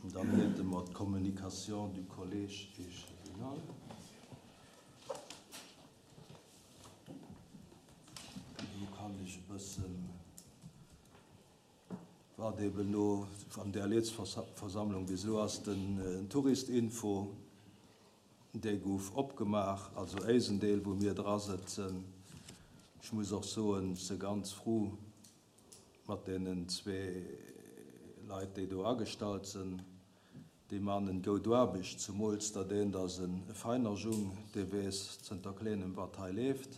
Dann hätte mer d'Communication du Collège échevinal. Do kann ech e bëssen, wat eben elo an där Lietsversammlung bis elo ass, den Touristinfo, dee gouf opgemaach, also éisen Deel, wou mir dra sëtzen. Ech muss och soen, ech si ganz fru mat deenen zwee Leit, déi do agestallt sinn. Déi man en goud Aarbecht, zumools dat eent ass en feiner Jung, dee weess zënter Kléinem wat hei leeft,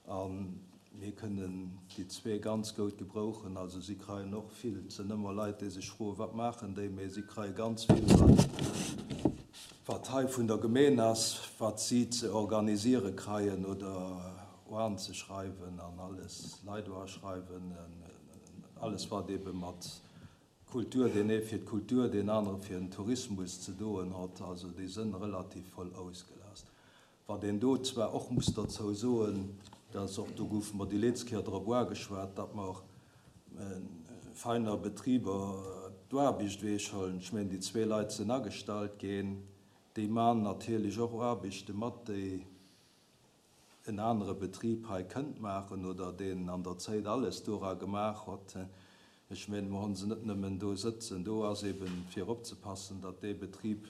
a mir kënnen déi zwee ganz goud gebrouchen. Also si kreien och vill, et sënn ëmmer Leit déi sech froen, wat maachen déi, mee si kreie ganz vill wat wat hei vun der Gemeen ass, wat si ze organisiere kreien oder oanzeschreiwen an alles, Leit oaschreiwen, alles wat ebe mat Kultur, deen ee fir d'Kultur, deen anere fir den Tourismus ze doen hott, also déi sënn relativ voll ausgelast. Wat een do zwar och muss derzou soen, dat ass och, do goufe mer déi leetz Kéier drop uageschwat, datt mer feiner Betriber d'Aarbicht weechhollen. Ech mengen, déi zwee Leit sënn agestallt ginn, déi man natierlech och Aarbichte mat, déi en anere Betrib hei kënnt maachen oder deen an der Zéit alles dora gemaach hott. Ech mengen, mer honn se net nëmmen do sëtzen. Do ass eben fir opzepassen, datt dee Betrib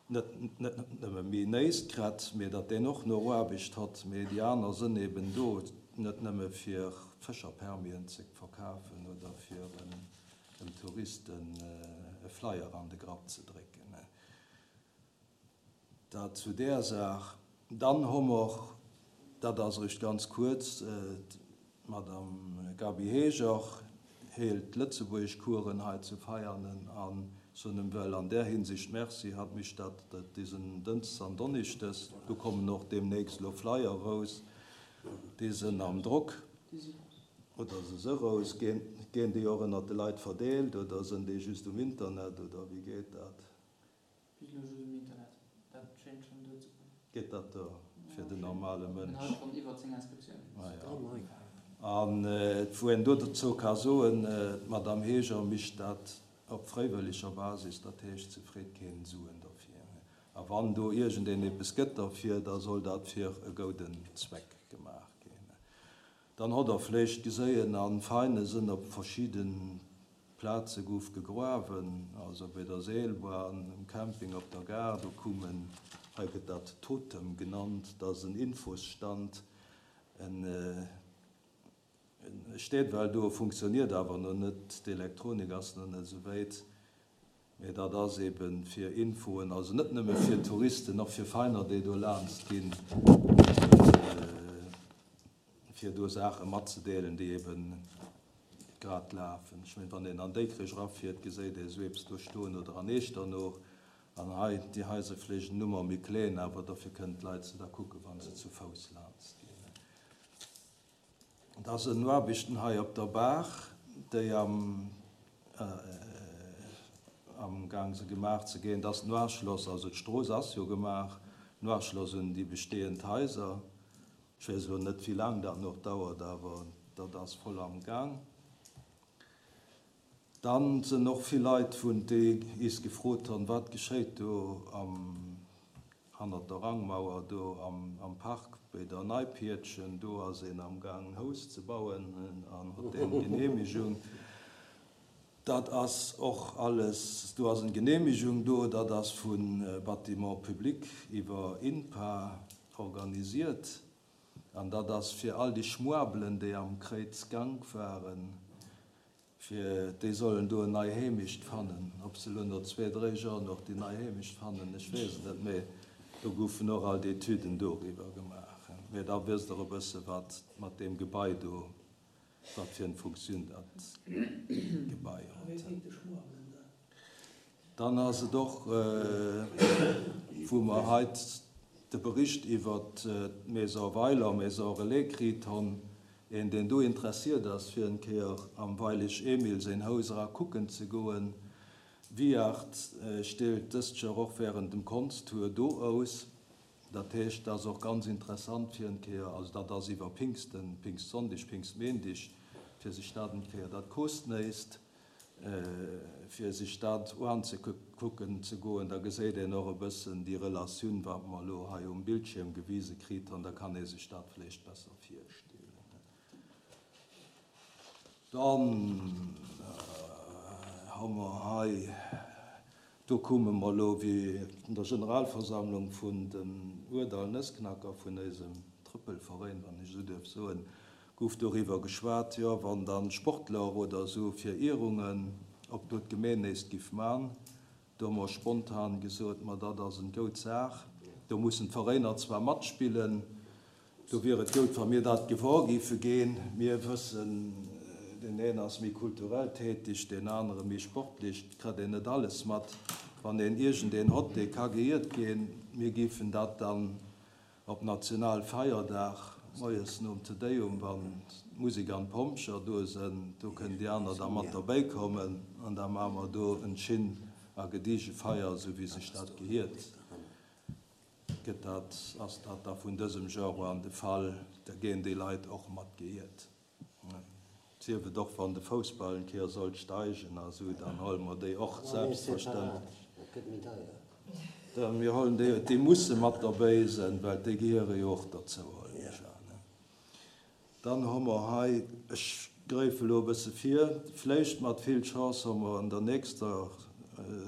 net nëmme méi néist krett, mee datt deen och no Aarbecht hott. Mee déi aner sënn eben do net nëmme fir Fëscherpermien ze verkafen oder fir dem Touristen e Flyer an de Grapp ze drécken. Dat zu där Saach. Dann hu mer, dat ass eréischt ganz kuerz, d'Madame Gaby Heger hélt d'Lëtzebuergeschcoursen hei zu Veianen a soen em well an där Hinsicht Merci. Hatt mécht dat disen Dënschdes an Donneschdes. Do kommen och deemnächst elo Flyer erous, déi sënn am Drock. Oder se se erous. Ginn déi och ënnert de Leit verdeelt oder sënn déi just um Internet oder wéi geet dat? Bis elo just um Internet. Dat schéint schon duer ze goen. Geet dat duer fir den normale Mënsch? Mir hate schon iwwer 10 Inscriptiounen. Ah jo. An wou een do dozou ka soen, d'Madame Heger micht dat op fréiwëlleger Basis, dat heescht, se freet keen Suen derfir. A wann do iergendeen eppes gëtt derfir, da soll dat fir e gouden Zweck gemaach ginn. Dann hott der vléicht geséien, a Veine sënn op verschidden Plaze gouf gegruawen, also bei der Seelbahn, um Camping, op der Gare, do koum en, hei gëtt dat Totem genannt, dat ass en Infosstand, en steet well do, funktioniert awer no net, d'Elektronik ass no net esou wéit, mee dat ass eben fir Infoen, also net nëmme fir Touristen, och fir Veiner, déi do laanst ginn, fir do Saache matzedeelen, déi eben grad lafen. Ech mengen, wann een an Déikrech erafiert, geséit ee esou eppes do stoen oder an Eechternoch. An hei, déi Haiser vläicht en Nummer méi kleen, awer dofir kënnen d'Leit se da kucken, wa se zu Fouss laanst ginn. Da sinn Aarbechten hei op der Baach, déi am amgaang se gemaach ze ginn. Dat ass den Uaschloss, also d'Strooss ass jo gemaach, den Uaschloss un déi bestehend Haiser. Ech weess elo net, wéi laang dat nach dauert, awer dat ass voll am Gaang. Dann sinn och vill Leit, vun déi is gefrot hunn, wat geschéit do am, hannert der Rangmauer do am Park bei der Neipiertchen. Do ass een am Gaang, en Haus ze bauen an hott eng Genehmigung. Dat ass och alles, do ass eng Genehmigung do, dat ass vu Bâtiments publics iwwer INPA organisiert an dat ass fir all déi Schmuebelen, déi am Kréizgank waren, fir déi sollen do en nei Heemecht fannen. Ob se elo no zwee, dréi Joer och déi nei Heemecht fannen, ech weess et net, mee do goufen och all d'Etüden doriwwer gemaach. Mee da wësst Der e bësse wat mat deem Gebai do Wat fir en Funktioun dat Gebai hott. Dann ass et och, wou mer heit de Bericht iwwert d'Maison Weiler, Maison Relais kriit honn, een deen do interessiert ass fir en Kéier am Weilig Emil séin Hous era kucken ze goen. Viart stellt dëst Joer och während dem Konsttour do ous. Dat heescht, dat ass och ganz interessant fir en Kéier, also dat ass iwwer Pinksten, Pingstsonndeg, Pingstméindig, fir sech dat en Kéier, dat kost néist, Fir sech dat uanzekucken ze goen, da geséit een och e bëssen déi Relatioun, wat mer elo hei um Bildschierm gewise kritt han, da kann ee sech dat vläicht besser virstellen. Dann hu mer hei, do komme mer elo wéi an der Generalversammlung vun den Ourdall Nëssknacker vun éisem Trëppelveräin, wann ech esou duerf soen, gouf doriwwer geschwat, jo wann dann Sportler oder esou fir Ierungen, ob do d'Gemeen néist giff man. Do hu mer spontan gesot, ma dat ass en goud Saach, do mussen d'Veräiner zwar matspillen, do wier et goud wa mir dat gewor giffe ginn. Mir wëssen, deen een ass méi kulturell tätig, deen anere méi sportlich, et kritt een net alles mat. Wann een iergendeen hott, dee ka geiert ginn, mir giffen dat dann Op Nationalfeierdag, moies nom Te Deum, wann d'Musek an d'Pompjer do sënn, do kënnen déi aner da mat derbäi kommen an da maache mer do en schin a gediege Feier, esou wéi sech dat gehiert. Gëtt dat, ass dat da vun dësem Genre an de Fall, da géen déi Leit och mat gehiert. Sief et och wann de Foussball en Kéier sollt steigen a sou, dann huele mer déi och selbstverständlech. Mir huelen déi, déi musse mat derbäi sinn, well déi gehiere jo och derzou, huelen ech an. Dann hu mer hei, ech gräife elo e bësse vir, vläicht mat vill Chance hu mer an der nächster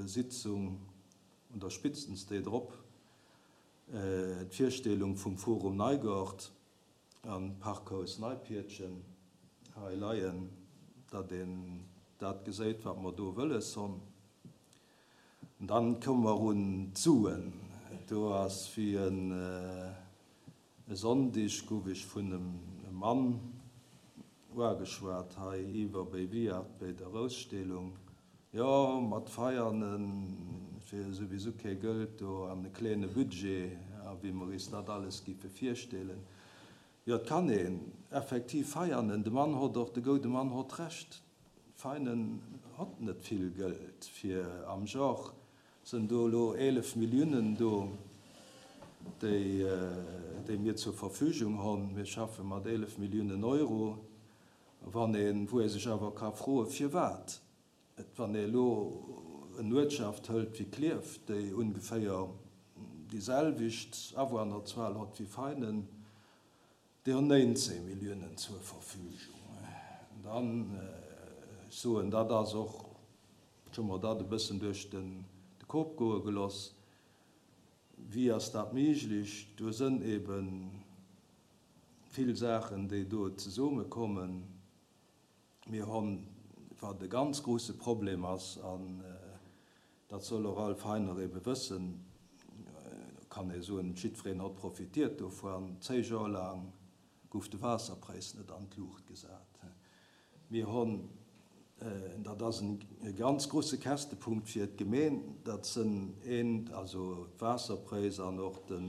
Sitzung oder spitstens déi drop, d'Virstellung vum Forum Neigort. An Parkhaus Neipiertchen hei leien, datt een dat geséit, wat mer do wëlles honn. An dann komme mer un d'Suen. Do ass wéi en e Sonndig gouf ech vun em Mann uageschwat hei iwwer béi Viart béi der Ausstellung. Jo, mat Veianen fir souwisou kee Gëld do an e kleene Budget a wéi mer is dat alles giffe virstellen. Jo, et kann een effektiv Veianen, de Mann hott och, de goude Mann hott Recht, Veinen hott net vill Gëld fir am Genre sënn do elo 11 Milliounen do, déi, déi mir zur Verfügung honn. Mir schaffe mat 11 Milliounen Euro. Wann een, wou ee sech awer ka froen, firwat et, wann ee elo en Uertschaft hëlt wéi Klierf, déi ungeféier déi selwecht Awunnerzuel hott wéi Veinen, déi hunn 19 Milliounen zur Verfügung. Dann, ech soen, dat ass och, ech hu mer dat e bëssen duerch de Kop goe geloss, wéi ass dat méiglech? Do sënn eben Vill Saachen, déi do zesumme kommen. Mir honn, wat e ganz grouse Problem ass, an dat soll och all Veiner ebe wëssen, kann ee soen, jiddwereen hott profitiert dovuan, zéi Joer laang gouf de Waasserpräis net an d'Luucht gesat. Mir honn, dat ass e ganz grouse Käschtepunkt fir d'Gemeen, dat sënn een, also d'Waasserpräis an och de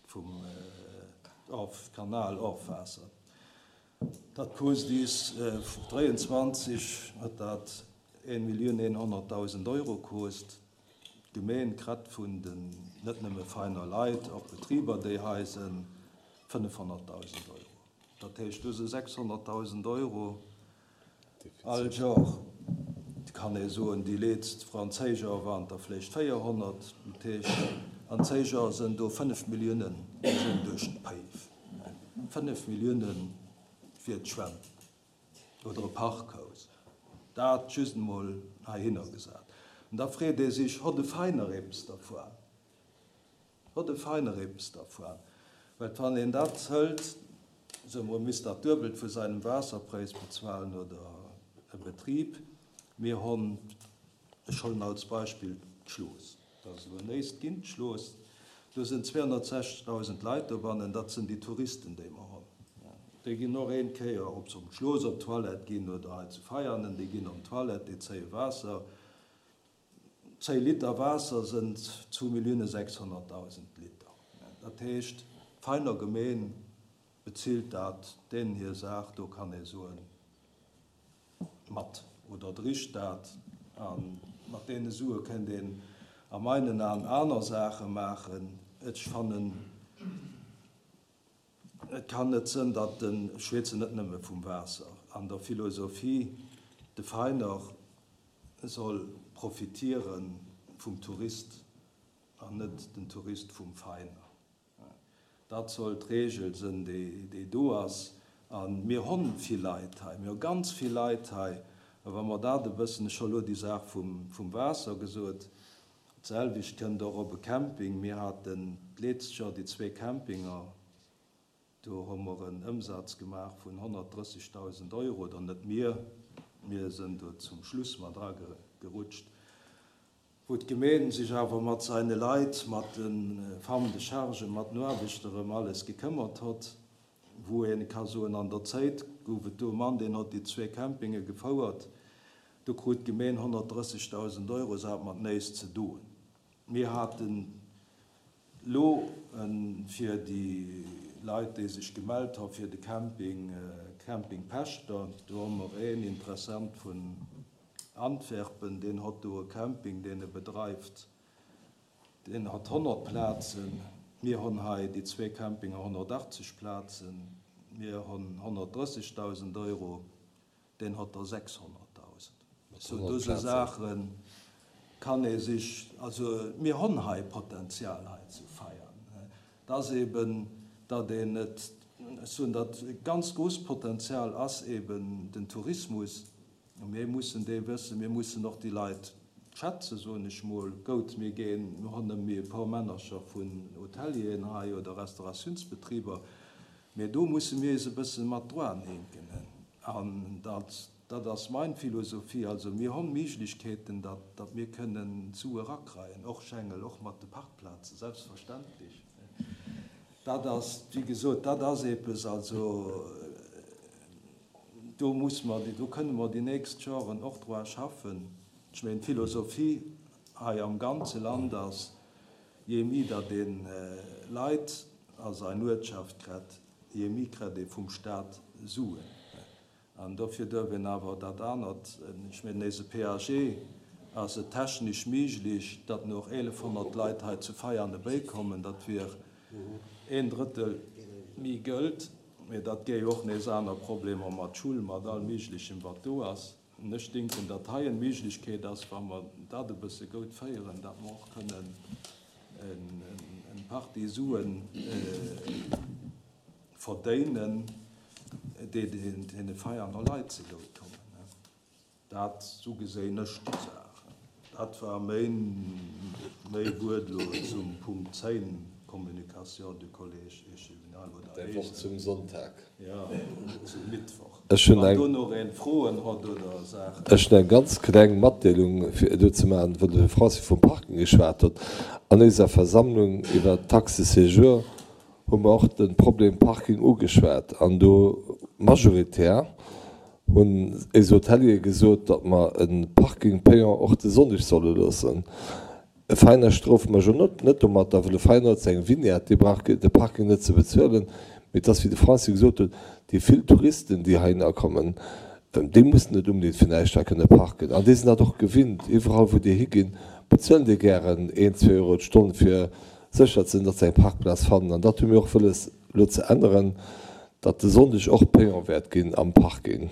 vum Kanal Ofwaasser. Dat kost is 23 huet dat 1.100.000 Euro kost. D'Gemeen krett vun den net nëmme feiner Leit, och Betriber déi hei sënn, 500.000 Euro. Dat heescht, do si 600.000 Euro all Jor. Et kann ee soen, déi leetzt franséisch Jor waren et der vläicht 400. Dat heescht, an zéi Jor sinn do 5 Milliounen, déi sinn duerch d'Päif. 5 Millioune fir d'Schwämm oder e Parkhaus. Dat just emol heihinner gesat. An da freet ee sech, Hott e Veiner eppes dervuan? Hott e Veiner eppes dervuan? Well wann een dat hëlt, soe mer, e misst dat Duebelt vu seinem Waasserpräis bezuelen oder e Betrib, mir honn, ech hollen als Beispill d'Schlooss, dat ass elo néist ginn, d'Schlooss, do sinn 260.000 Leit dobannen, dat sinn déi Touristen, déi mer honn. Déi ginn och een Kéier, ob se um Schlooss op d'Toilette ginn oder hei zu Veianen, déi ginn op d'Toilette, déi zéie Waasser. Zéi Liter Waasser sënn 2.600.000 Liter. Dat heescht, d'Veiner Gemeen bezilt dat, deenen hir Saach, do kann ee soen, mat oder dricht dat. A mat deene Sue kënnt een a meinen Aen aner Saache maachen. Ech fannen, Et kann net sënn, datt den, ech schwätzen net nëmme vum Waasser, an der Philosophie, de Veiner. soll profitiere vum Tourist an net den Tourist vum Veiner. Dat soll d'Regel sënn, déi do ass. A mir honn vill Leit hei, mir hu ganz vill Leit hei. A wa mer dat e bëssen, ech hu elo déi Saach vum Waasser gesot, d'selwecht kënnt och op e Camping. Mir haten d'leetzt Joer déi zwee Campinger, do hu mer en Ëmsaz gemaach vun 130.000 Euro, oder net mir, mir sënn do zum Schluss mat eragerutscht. wou d'Gemeen sech awer mat seine Leit, mat de Femmes de charge, mat den Aarbechter ëm alles gekëmmert hott, wou een ka soen, an der Zéit gouf et do e Mann, deen hott déi zwee Campinge gefouert, do krut d'Gemeen 130.000 Euro, se hat mat néist ze doen. Mir haten Lo fir déi Leit, déi sech gemellt ha fir de Camping, Camping Pächter, do hu mer een Interessent vun Antwerpen, deen hott do e Camping, deen e bedreift, deen hat 100 Plazen. Mir honn hei déi zwee Campinger 180 Plazen, mir honn 130.000 Euro. Deen hat der 600.000. Sou dëse Saache kann ee sech, also mir honn hei Potenzial hei zu feiern. Et ass eben, datt een et, ech soen, dat ganz grousst Potenzial ass eben den Tourismus. A mir mussen dee wëssen, mir mussen och déi Leit schätzen, soen ech mol. Gout, mir ginn, mir honn nëmme e puer Männercher vun Hotelieren hei oder Restauratiounsbetriber, Mee do musse mir eis e bësse mat droanhinken. An dat, dat ass mein Philosophie. Also mir honn Méiglechkeeten, datt, datt mir kënnen Sue rakreien, och Schengel, och mat de Parkplazen, selbstverständlech. Dat ass, wéi gesot, dat ass eppes, also do muss mer, do kënne mer déi nächst Joren och droa schaffen. Ech mengen, d'Philosophie hei am ganze Land ass, Je mi datt een Leit a sein Uertschaft krett, je mi krett ee vum Staat Suen. An dofir duerf een awer dat anert, ech mengen éise PAG ass et technisch miglech, datt noch 1100 Leit hei zu Veiane béikommen, dat wier een Drëttel mi Gëld, mee dat géif och nees aner Problemer mat Schull, mat all miglechem wat do ass. Ech denken, datt hei eng Méiglechkeet ass, wa mer dat e bësse goud féieren, datt mer och kënnen eng Partie Sue verdéinen, déi deene Veianer Leit zegoud kommen. Dat, esou geséin ech déi Saach. Dat war méin Wuert elo zum Punkt 10, Communication du Collège échevinal oder Däi Wort zum Sonntag. Jo, zum Mittwoch. Ech hunn Wann eng. do nach een Froen hott oder Saachen. Ech hunn eng ganz kleng Matdeelung fir elo ze maachen, wou de Francis vum Parking geschwat huet. An éiser Versammlung iwwert d'Taxe de séjour hu mer och de Problem Parking ugeschwat an do majoritär hunn éis Hoteliere gesot, datt mer e Parking payant och de Sonndeg solle loossen. E Veiner strofe mer jo net net domatter, well e Veiner huet seng Vignette, dee brauch de Parking net ze bezuelen. Mee et ass, wéi de Francis gesot huet, déi vill Touristen, déi heihinner kommen, déi mussen net unbedéngt fir näischt hei kënne parken. An déi sinn dat och gewinnt. Iwwerall, wou déi higinn, bezuelen déi gären een, zwee Euro d'Stonn, fir sécher ze sinn, datt se eng Parkplaz fannen. An dat hu mir och wëlles elo ze änneren, datt de Sonndeg och payant wäert ginn am Parking.